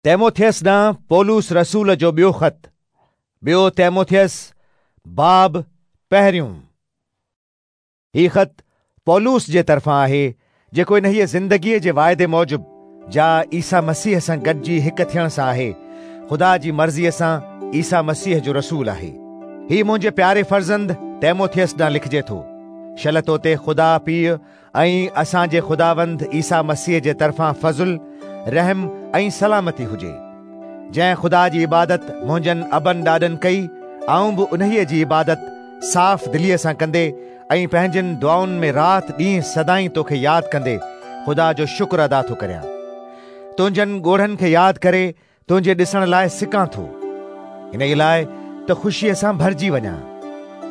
تيموٿيس ڏانهن پولس رسول جو ٻيو خط، ٻيو تيموٿيس، باب پهريون. هي خط پولس جي طرفان آهي، جيڪو انهيء زندگيء جي واعدي موجب، جا عيسيٰ مسيح سان گڏجي هڪ ٿيڻ سان آهي، خدا جي مرضيء سان عيسيٰ مسيح جو رسول آهي. هي منهنجي پياري فرزند تيموٿيس ڏانهن لکجي ٿو. شل تو تي خدا پيء ۽ اسان جي خداوند عيسيٰ مسيح جي طرفان فضل، رحم ۽ سلامتي هجي. جنهن خدا جي عبادت منهنجن ابن ڏاڏن ڪئي، آئون به انهيء جي عبادت صاف دليء سان ڪندي ۽ پنهنجين دعائن ۾ رات ڏينهن سدائين توکي ياد ڪندي خدا جو شڪر ادا ٿو ڪريان. تنهنجن ڳوڙهن کي ياد ڪري تنهنجي ڏسڻ لاء سڪان ٿو، انهيء لاء ته خوشيء سان ڀرجي وڃان.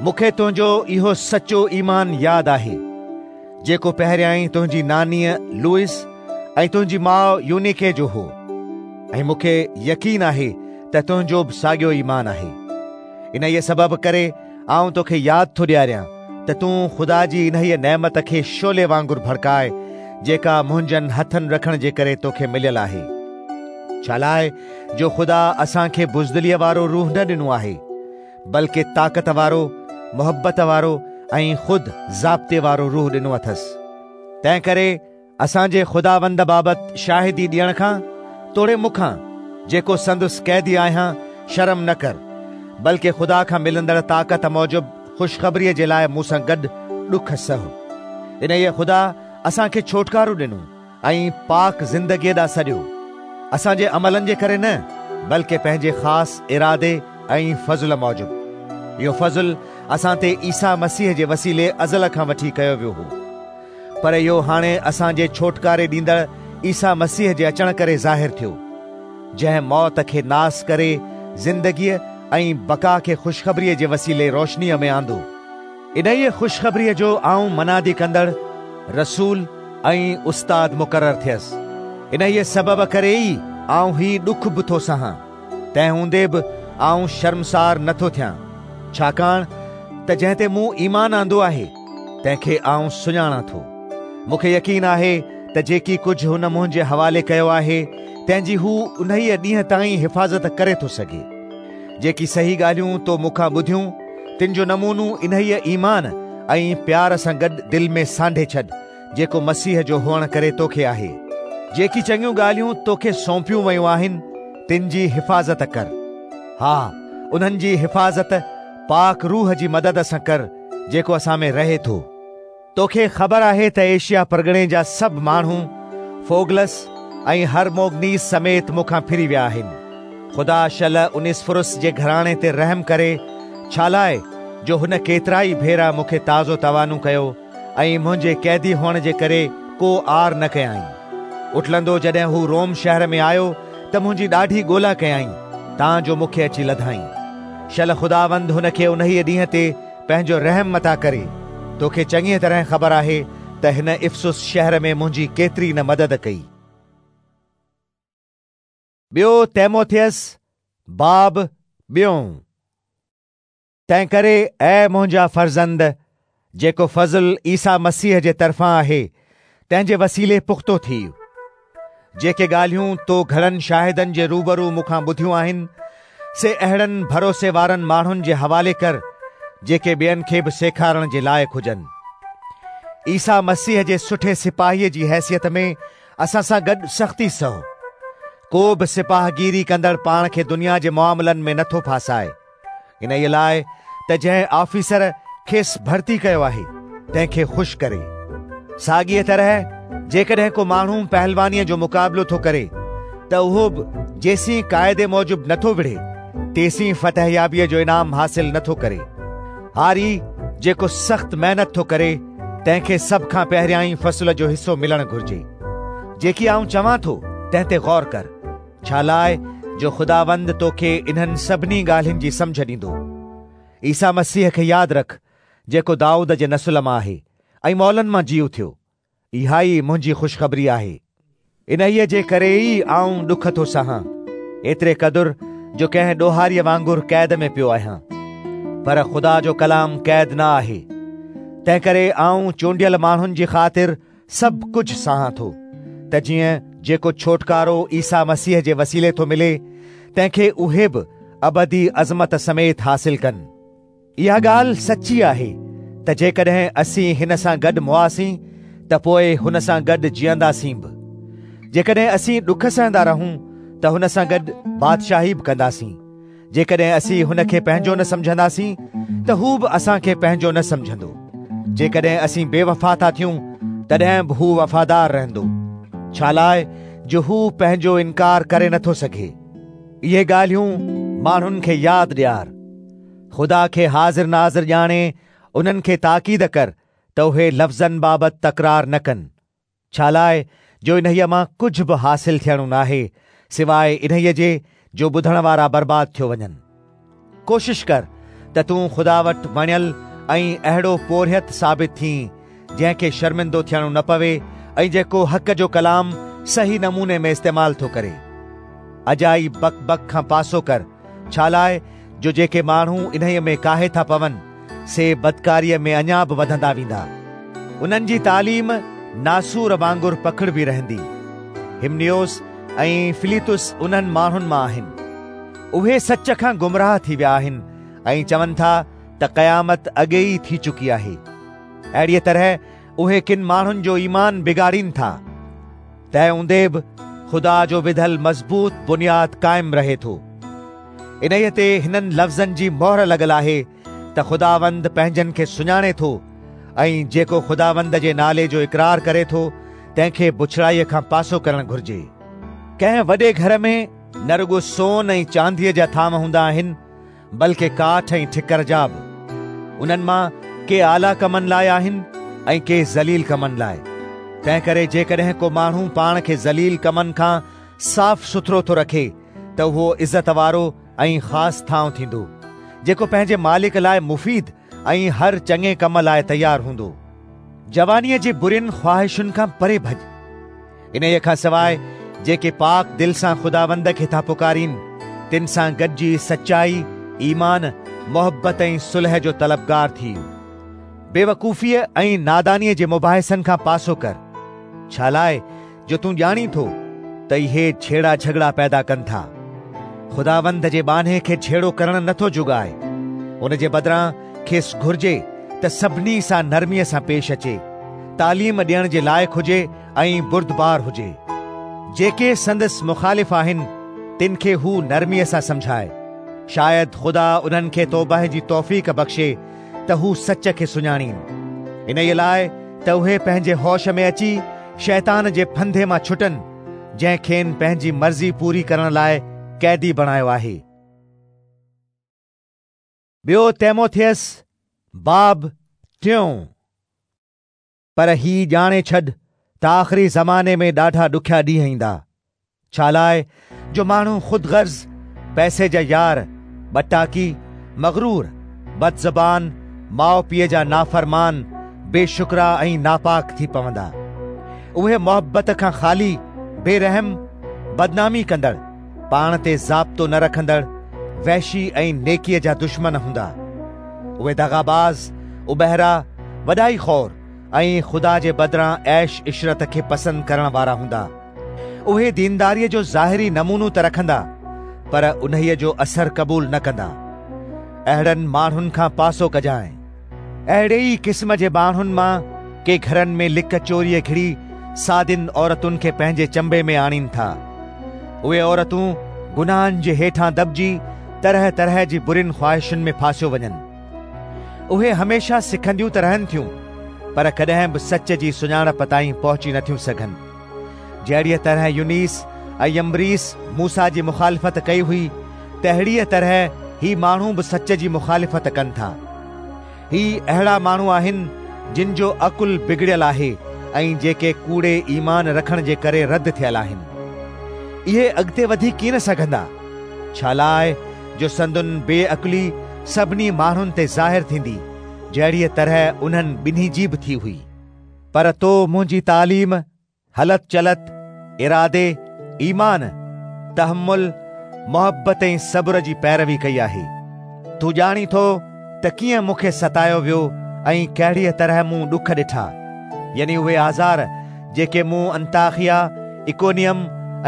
مون کي تنهنجو اهو سچو ايمان ياد آهي، جيڪو پهريائين تنهنجي نانيء لوئس ۽ تنهنجي ماء يونيڪي جو هو، ۽ مون کي يقين آهي ته تنهنجو به ساڳيو ايمان آهي. انهيء سبب ڪري آئون توکي ياد ٿو ڏياريان ته تون خدا جي انهيء نعمت کي شعلي وانگر ڀڙڪاء، جيڪا منهنجن هٿن رکڻ جي ڪري توکي مليل آهي. ڇالاء جو خدا اسان کي بزدليء وارو روح نه ڏنو آهي، بلڪ طاقت وارو، محبت وارو ۽ خود ضابطي وارو روح ڏنو اٿس. تنهنڪري اسان جي خداوند بابت شاهدي ڏيڻ کان توڙي مون کان، جيڪو سندس قيدي آهيان، شرم نه ڪر، بلڪ خدا کان ملندڙ طاقت موجب خوشخبريء جي لاء مون سان گڏ ڏک سهه. انهيء خدا اسان کي ڇوٽڪارو ڏنو. ۽ پاڪ زندگيء ڏانهن سڏيو، اسان جي عملن جي ڪري نه، بلڪه پنهنجي خاص ارادي ۽ فضل موجب. اهو فضل اسان تي عيسيٰ مسيح جي وسيلي ازل کان وٺي ڪيو ويو هو، پر اهو هاڻي اسان جي ڇوٽڪاري ڏيندڙ عيسيٰ مسيح جي اچڻ ڪري ظاهر ٿيو، جنهن موت کي ناس ڪري زندگيء ۽ بقا کي خوشخبريء جي وسيلي روشنيء ۾ آندو. انهيء خوشخبريء جو آئون منادي ڪندڙ، رسول ۽ استاد مقرر ٿيس. انهيء سبب ڪري ئي آئون هي ڏک به ٿو سهان. تنهن هوندي به آئون شرمسار نه ٿو ٿيان، ڇاڪاڻ ته جنهن تي مون ايمان آندو آهي، تنهن کي آئون سڃاڻان ٿو. مون کي يقين آهي ته جيڪي ڪجهه هن منهنجي حوالي ڪيو آهي، تنهن جي هو انهيء ڏينهن تائين حفاظت ڪري ٿو سگهي. جيڪي صحيح ڳالهيون تو مون کان ٻڌيون، تن جو نمونو انهيء ايمان ۽ پيار سان گڏ دل ۾ سانڍي ڇڏ، جيڪو مسيح جو هئڻ ڪري توکي آهي. جيڪي چڱيون ڳالهيون توکي سونپيون ويون آهن، تن جي حفاظت ڪر. ها، انهن جي حفاظت پاڪ روح جي مدد سان ڪر، جيڪو اسان ۾ رهي ٿو. توکي خبر آهي ته ايشيا پرڳڻي جا سڀ ماڻهو فوگلس ۽ هرموگنيس سميت مون کان ڦري ويا آهن. خدا شل انيسفرس جي گهراڻي تي رحم ڪري، ڇالاء جو هن ڪيترائي ڀيرا مون کي تازو توانو ڪيو ۽ منهنجي قيدي هئڻ جي ڪري ڪو عار نه ڪيائين. اٽلندو جڏهن هو روم شهر ۾ آيو ته منهنجي ڏاڍي ڳولا ڪيائين، تان جو مون کي اچي لڌائين. شل خداوند هن کي انهيء ڏينهن تي پنهنجو رحم عطا ڪري. توکي چڱيء طرح خبر آهي ته هن افسس شهر ۾ منهنجي ڪيتري نه مدد ڪئي. ٻيو تيموٿيس باب ٻيون. تنهنڪري اي منهنجا فرزند، جيڪو فضل عيسيٰ مسيح جي طرفان آهي، تنهن جي وسيلي پختو ٿيء. جيڪي ڳالهيون تو گهڻن شاهدن جي روبرو مون کان ٻڌيون آهن، سي اهڙن ڀروسي وارن ماڻهن جي حوالي ڪر، جيڪي ٻين کي به سيکارڻ جي لائق هجن. عيسيٰ مسيح جي سٺي سپاهيء جي حيثيت ۾ اسان سان گڏ سختي سهه. ڪو به سپاهگيري ڪندڙ پاڻ کي دنيا جي معاملن ۾ نٿو ڦاسائي. انهيء لاء ته جنهن آفيسر کيس ڀرتي ڪيو آهي، تنهن کي خوش ڪري. ساڳيء طرح جيڪڏهن ڪو ماڻهو پهلوانيء جو مقابلو ٿو ڪري ته اهو به جيسين قاعدي موجب نٿو وڙهي، تيسين فتحيابيء جو انعام حاصل نٿو ڪري. هاري جيڪو سخت محنت ٿو ڪري، تنهن کي سڀ کان پهريائين فصل جو حصو ملڻ گهرجي. جيڪي آئون چوان ٿو، تنهن تي غور ڪر. ڇالاء جو خداوند توکي انهن سڀني ڳالهين جي سمجهه ڏيندو. عيسيٰ مسيح کي ياد رک، جيڪو دائود جي نسل مان آهي ۽ مئلن مان جي اٿيو. اها ئي منهنجي خوشخبري آهي. انهيء جي ڪري ئي آئون ڏک ٿو سهان، ايتري قدر جو ڪنهن ڏوهاريء وانگر قيد ۾ پيو آهيان. پر خدا جو ڪلام قيد نه آهي، تنهنڪري آئون چونڊيل ماڻهن جي خاطر سڀ ڪجهه سهان ٿو، ته جيئن جيڪو ڇوٽڪارو عيسيٰ مسيح جي وسيلي ٿو ملي، تنهن کي اهي به ابدي عظمت سميت حاصل ڪن. اها ڳالهه سچي آهي ته جيڪڏهن اسين هن سان گڏ مئاسين ته پوء هن سان گڏ جيئنداسين به. جيڪڏهن اسين ڏک سهندا رهون ته هن سان گڏ بادشاهي به ڪنداسين. جيڪڏهن اسين هن کي پنهنجو نه سمجهنداسين ته هو به اسان کي پنهنجو نه سمجهندو. جيڪڏهن اسين بي وفا ٿا ٿيون تڏهن به هو وفادار رهندو، ڇالاء جو هو پنهنجو انڪار ڪري نٿو سگهي. اهي ڳالهيون ماڻهن کي ياد ڏيار. خدا کي حاضر ناظر ڄاڻي انهن کي تاڪيد ڪر ته اهي لفظن بابت تڪرار نه ڪن، ڇالاء جو انهيء مان ڪجهه به حاصل ٿيڻو ناهي، سواء انهيء جي جو ٻڌڻ وارا برباد ٿيو وڃن. ڪوشش ڪر ته تون خدا وٽ وڻيل ۽ اهڙو پورهيت ثابت ٿين، جنهن کي شرمندو ٿيڻو نه پوي ۽ جيڪو حق جو ڪلام صحيح نموني ۾ استعمال ٿو ڪري. اجائي بڪ بڪ کان پاسو ڪر، ڇالاء جو جيڪي ماڻهو انهيء ۾ ڪاهي ٿا پون، سي بدڪاريء ۾ اڃا به وڌندا ويندا. انهن جي تعليم ناسور وانگر پکڙبي رهندي. همنيوس ۽ فليطس انهن ماڻهن مان آهن. اهي سچ کان گمراهه ٿي ويا آهن ۽ چون ٿا ته قيامت اڳي ئي ٿي چڪي آهي. اهڙيء طرح اهي ڪن ماڻهن جو ايمان بگاڙين ٿا. تنهن هوندي به خدا جو وڌل مضبوط بنياد قائم رهي ٿو. انهيء تي هنن لفظن جي مهر لڳل آهي ته خداوند پنهنجن کي سڃاڻي ٿو ۽ جيڪو خداوند جي نالي جو اقرار ڪري ٿو تنهن کي بڇڙائيء کان پاسو ڪرڻ گهرجي. ڪنهن وڏي گهر ۾ نه رڳو سون ۽ چانديء جا ٿانو هوندا آهن، بلڪه ڪاٺ ۽ ٺڪر جا به. انهن مان ڪي اعليٰ ڪمن لاء آهن ۽ ڪي ذليل ڪمن لاء. تنهنڪري جيڪڏهن ڪو ماڻهو پاڻ کي ذليل ڪمن کان صاف سٿرو ٿو رکي ته اهو عزت وارو ۽ خاص ٿانء ٿيندو، جيڪو پنهنجي مالڪ لاء مفيد ۽ هر چڱي ڪم لاء تيار هوندو. جوانيء جي برين خواهشن کان پري ڀڄ. انهيء کان سواء جيڪي پاڪ دل سان خداوند کي ٿا پڪارين، تن سان گڏجي سچائي، ايمان، محبت ۽ صلح جو طلبگار ٿيء. بيوقوفيء ۽ نادانيء جي مباحثن کان پاسو ڪر، ڇالاء جو تون ڄاڻين ٿو ته اهي جهيڙا جهڳڙا پيدا ڪن ٿا. خداوند جي ٻانهي کي جهيڙو ڪرڻ نٿو جڳائي، ان جي بدران کيس گهرجي ته سڀني سان نرميء سان پيش اچي، تعليم ڏيڻ جي لائق هجي ۽ بردبار هجي. جيڪي سندس مخالف آهن، تن کي هو نرميء سان سمجهائي. شايد خدا انهن کي توبهه جي توفيق بخشي ته هو سچ کي سڃاڻين. انهيء لاء ته اهي پنهنجي هوش ۾ اچي شيطان جي ڦندي مان ڇٽن، جنهن کين پنهنجي مرضي پوري ڪرڻ لاء قيدي بڻايو آهي. ٻيو تيموٿيس باب ٽيون. پر هي ڄاڻي ڇڏ ته آخري زماني ۾ ڏاڍا ڏکيا ڏينهن ايندا. ڇالاء جو ماڻهو خود غرض، پئسي جا يار، ٻٽاڪي، مغرور، بدزبان، ماء پيء جا نافرمان، بي شڪرا ۽ ناپاڪ ٿي پوندا. اهي محبت کان خالي، بي رحم، بدنامي ڪندڙ، پاڻ تي ضابطو نه رکندڙ، وحشي ۽ نيڪيء جا دشمن هوندا. اهي دغاباز، اٻهرا، وڏائي خور ۽ خدا جي بدران عيش عشرت کي پسند ڪرڻ وارا هوندا. اهي دينداريء جو ظاهري نمونو ته رکندا، پر انهيء جو اثر قبول نه ڪندا. اهڙن ماڻهن کان پاسو ڪجانء. اهڙي ئي قسم جي ماڻهن مان ڪي گهرن ۾ لڪ چوريء گهڙي سادين عورتن کي پنهنجي چنبي ۾ آڻين ٿا. اهي عورتون گناهن جي هيٺان دٻجي طرح طرح جي برين خواهشن ۾ ڦاسيو وڃن. اهي هميشه سکنديون ته رهن ٿيون، پر ڪڏهن به سچ جي سڃاڻپ تائين پهچي نٿيون سگهن. جهڙيء طرح ينيس ۽ يمبريس موسيٰ جي مخالفت ڪئي هئي، تهڙيء طرح هي ماڻهو به سچ جي مخالفت ڪن ٿا. هي اهڙا ماڻهو آهن، جن جو عقل بگڙيل آهي ۽ جيڪي ڪوڙي ايمان رکڻ جي ڪري رد ٿيل آهن. اهي اڳتي وڌي ڪين سگهندا، ڇالاء جو سندن بي عقلي سڀني ماڻهن تي ظاهر ٿيندي، جهڙيء طرح انهن ٻنهي جي به ٿي هئي. پر تو منهنجي تعليم، هلت چلت، ارادي، ايمان، تحمل، محبت ۽ صبر جي پيروي ڪئي آهي. تون ڄاڻين ٿو ته ڪيئن مون کي ستايو ويو ۽ ڪهڙيء طرح مون ڏک ڏٺا، يعني اهي آزار جيڪي مون انطاخيه، اڪونيم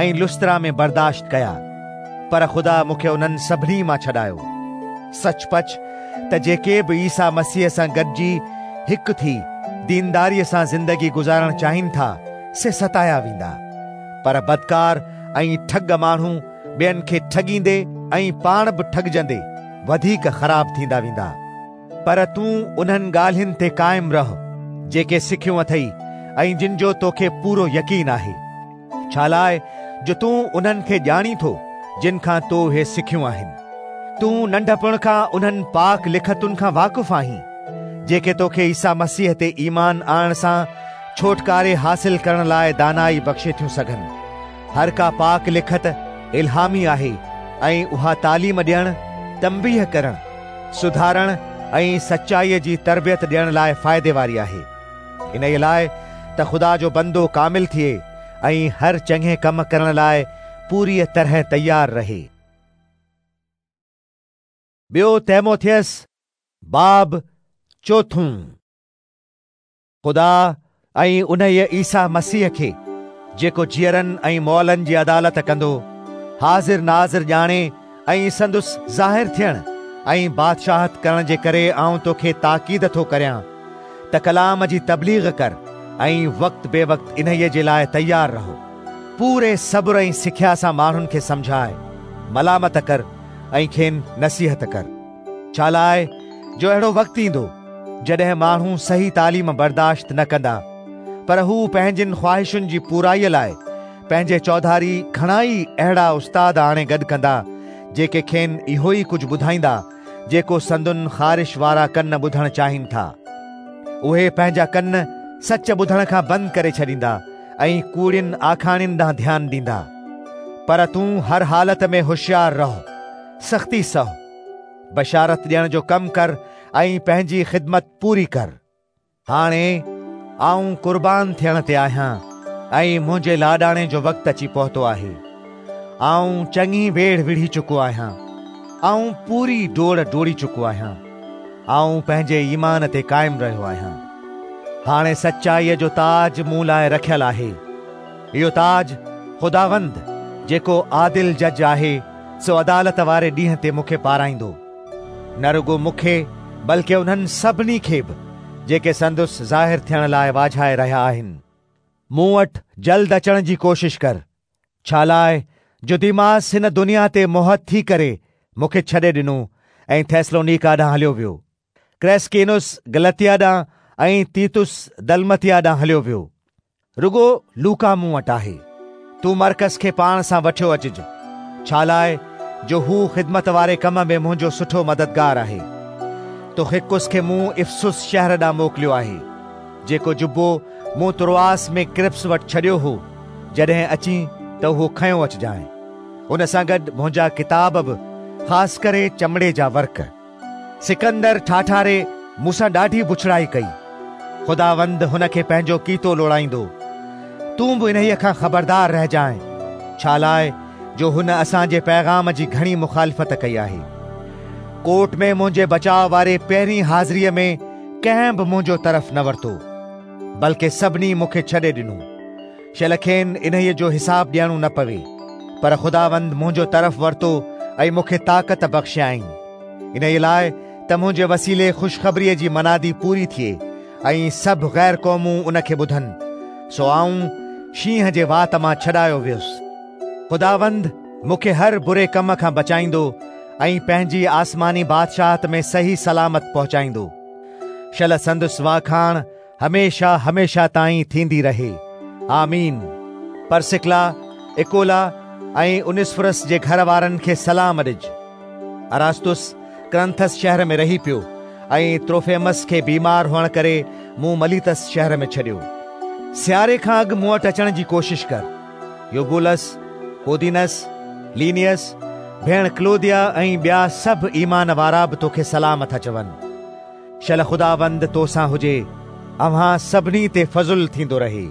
۽ لسترا ۾ برداشت ڪيا، پر خدا مون کي انهن سڀني مان ڇڏايو. سچ پچ ته جيڪي به عيسيٰ مسيح سان گڏجي هڪ ٿي دينداريء سان زندگي گذارڻ چاهين ٿا، سي ستايا ويندا. پر بدڪار ۽ ٺڳ ماڻهو ٻين کي ٺڳيندي ۽ پاڻ به ٺڳجندي وڌيڪ خراب ٿيندا ويندا. پر تون انهن ڳالهين تي قائم رهه، جيڪي سکيون اٿئي ۽ جن جو توکي پورو يقين آهي. ڇالاء جو تون انهن کي ڄاڻين ٿو، جن کان تو اهي سکيون آهن. تون ننڍپڻ کان انهن پاڪ لکتن کان واقف آهين، جيڪي توکي عيسيٰ مسيح تي ايمان آڻڻ سان ڇوٽڪاري حاصل ڪرڻ لاء دانائي بخشي ٿيون سگهن. هر ڪا پاڪ لکت الهامي آهي ۽ اها تعليم ڏيڻ، تنبيهه ڪرڻ، سڌارڻ ۽ سچائيء جي تربيت ڏيڻ لاء فائدي واري آهي. انهيء لاء ته خدا جو بندو ڪامل ٿئي ۽ هر چڱي ڪم ڪرڻ لاء پوريء طرح تيار رهي. ٻيو تيموٿيس باب چوٿون. خدا ۽ انهيء عيسيٰ مسيح کي، جيڪو جيئرن ۽ مئلن جي عدالت ڪندو، حاضر ناظر ڄاڻي ۽ سندس ظاهر ٿيڻ ۽ بادشاهت ڪرڻ جي ڪري آئون توکي تاڪيد ٿو ڪريان ته ڪلام جي تبليغ ڪر ۽ وقت بي وقت انهيء جي لاء تيار رهو. پوري صبر ۽ سکيا سان ماڻهن کي سمجهاء، ملامت ڪر ۽ کين نصيحت ڪر. ڇالاء جو اهڙو وقت ايندو، جڏهن ماڻهو صحيح تعليم برداشت نه ڪندا، پر هو پنهنجين خواهشن جي پورائيء لاء پنهنجي چوڌاري گهڻائي اهڙا استاد آڻي گڏ ڪندا، جيڪي کين اهو ئي ڪجهه ٻڌائيندا، جيڪو سندن خارش وارا ڪن ٻڌڻ چاهين ٿا. اهي پنهنجا ڪن سچ ٻڌڻ کان بند ڪري ڇڏيندا ۽ ڪوڙين آکاڻين ڏانهن ڌيان ڏيندا. پر تون هر حالت ۾ هوشيار رهه، سختي سهه. بشارت ڏيڻ جو ڪم ڪر ۽ پنهنجي خدمت پوري ڪر. هاڻي آئون قربان ٿيڻ تي آهيان ۽ منهنجي لاڏاڻي جو وقت اچي پهتو آهي. آئون چڱي ويڙهه وڙهي چڪو آهيان. آئون پوري ڊوڙ ڊوڙي چڪو آهيان. آئون پنهنجي ايمان تي قائم رهيو آهيان. هاڻي سچائيء جو تاج مون لاء رکيل آهي. اهو تاج خداوند، جيڪو عادل جج آهي، سو عدالت واري ڏينهن تي مون کي پارائيندو. نه رڳو مون کي بلڪه انهن سڀني کي به جيڪي سندس ظاهر ٿيڻ لاء واجهائي رهيا آهن. مون وٽ جلد اچڻ جي ڪوشش ڪر، ڇالاء جو ديماس هن دنيا تي موهت ٿي ڪري مون کي ڇڏي ڏنو ۽ ٿيسلونيڪا ڏانهن هليو ويو. ڪريسڪينس گلتيا ڏانهن ۽ تيتس دلمتيا ڏانهن هليو ويو. رڳو لوڪا مون وٽ آهي. تون مرقس کي پاڻ سان وٺيو اچج، ڇالاء جو هو خدمت واري ڪم ۾ منهنجو سٺو مددگار آهي. تخڪس کي مون افسس شهر ڏانهن موڪليو آهي. جيڪو جبو مون تروآس ۾ ڪرپس وٽ ڇڏيو هو، جڏهن اچين ته اهو کنيو اچجانء. ان سان گڏ منهنجا ڪتاب به، خاص ڪري چمڙي جا ورق. سڪندر ٺاٺاري مون سان ڏاڍي بڇڙائي ڪئي. خداوند هن کي پنهنجو ڪيتو لوڙائيندو. تون به انهيء کان خبردار رهجانء، ڇالاء جو هن اسان جي پيغام جي گهڻي مخالفت ڪئي آهي. ڪورٽ ۾ منهنجي بچاء واري پهرين حاضريء ۾ ڪنهن به منهنجو طرف نه ورتو، بلڪه سڀني مون کي ڇڏي ڏنو. شل کين انهيء جو حساب ڏيڻو نه پوي، پر خداوند منهنجو طرف ورتو ۽ مون کي طاقت بخشيائين، انهيء لاء ته منهنجي وسيلي خوشخبريء جي منادي پوري ٿئي ۽ سڀ غير قومون ان کي ٻڌن. سو آئون شينهن جي وات مان ڇڏايو ويس. خداوند مون کي هر بري ڪم کان بچائيندو ۽ پنهنجي آسماني بادشاهت ۾ صحيح سلامت پهچائيندو. شل سندس واکاڻ هميشه هميشه تائين ٿيندي رهي. آمين. پرسڪلا، اڪولا ۽ انيسفرس جي گهر وارن کي سلام ڏج. اراستس ڪرنٿس شهر ۾ رهي پيو ۽ تروفيمس کي بيمار هئڻ ڪري مون مليتس شهر ۾ ڇڏيو. سياري کان اڳ مون وٽ اچڻ جي ڪوشش ڪر. يوبولس، پودينس، لينيس، ڀيڻ ڪلوديا ۽ ٻيا سڀ ايمان وارا به توکي سلام ٿا چون. شل خداوند تو سان هجي. اوهان سڀني تي فضل ٿيندو رهي.